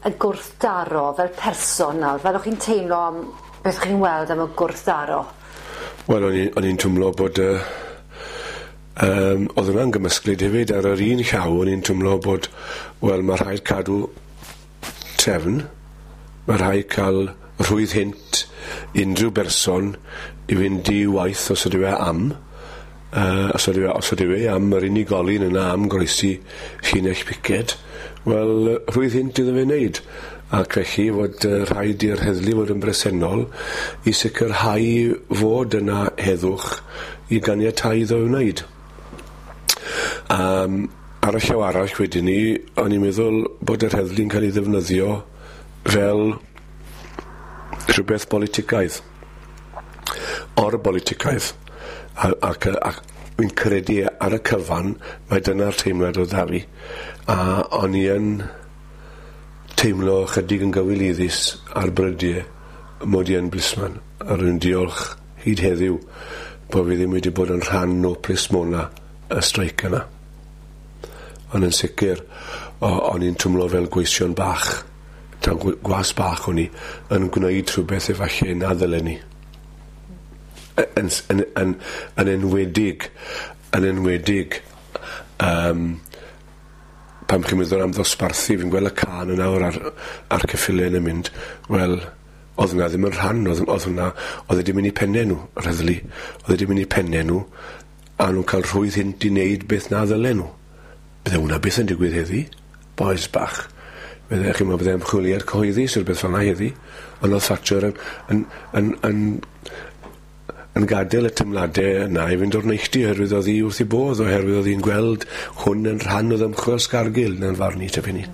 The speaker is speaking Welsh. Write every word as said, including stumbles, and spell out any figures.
y gwrthdaro fel person nawr, fel o'ch chi'n teimlo am beth chi'n weld am y gwrthdaro? Wel, o'n i'n o'n i'n twmlo bod yy um, oedd hwnna'n gymysglyd hefyd. Ar yr un llaw, o'n i'n twmlo bod, wel, mae rhaid cadw trefn, mae rhaid cael rhwydd hynt unrhyw berson i fynd i waith os ydyw e am, uh, os ydyw e, os ydyw e am yr unigolyn yna am groesi llinell piced, wel, rhwydd hynt iddo fe wneud. Ac felly fod uh, rhaid i'r heddlu fod yn bresennol i sicrhau fod yna heddwch i ganiatáu iddo wneud. Um, ar y llaw arall wedyn ni, o'n i'n meddwl bod yr heddlu'n cael ei ddefnyddio fel rhywbeth politicaidd, or-boliticaidd, a, ac, ac fi'n credu ar y cyfan mae dyna'r teimlad oedd 'da fi, a o'n i yn teimlo chydig yn gywilyddus ar brydiau mod i yn blisman, a rwy'n diolch hyd heddiw bod fi ddim wedi bod yn rhan o plismona y streic yna. Ond yn sicr, o'n i'n twmlo fel gweision bach, taw gwas bach o'n i, yn gwneud rhywbeth efallai na ddylen ni. Yn, yn, yn, yn enwedig, yn enwedig, um, pan chi'n meddwl am ddosbarthu, fi'n gweld y cân yn awr ar, ar ceffylau yn mynd, wel, oedd hwnna ddim yn rhan, oedd, oedd hwnna, oedd e wedi mynd i pennau nhw, yr heddlu, oedd e wedi mynd i pennau nhw, a nhw'n cael rhwydd hynt i wneud beth na ddylen nhw. Bydde hwnna byth yn digwydd heddi, bois bach. Bydde, chi'n meddwl, bydde ymchwiliad cyhoeddus rhywbeth beth fel 'na heddi, ond oedd Thatcher yn, yn, yn, yn, yn gadael y teimladau yna i fynd o'r neilltu oherwydd oedd hi wrth ei bodd, oherwydd oedd hi'n gweld hwn yn rhan o ddymchwel Scargill na'n farn i tipyn ni.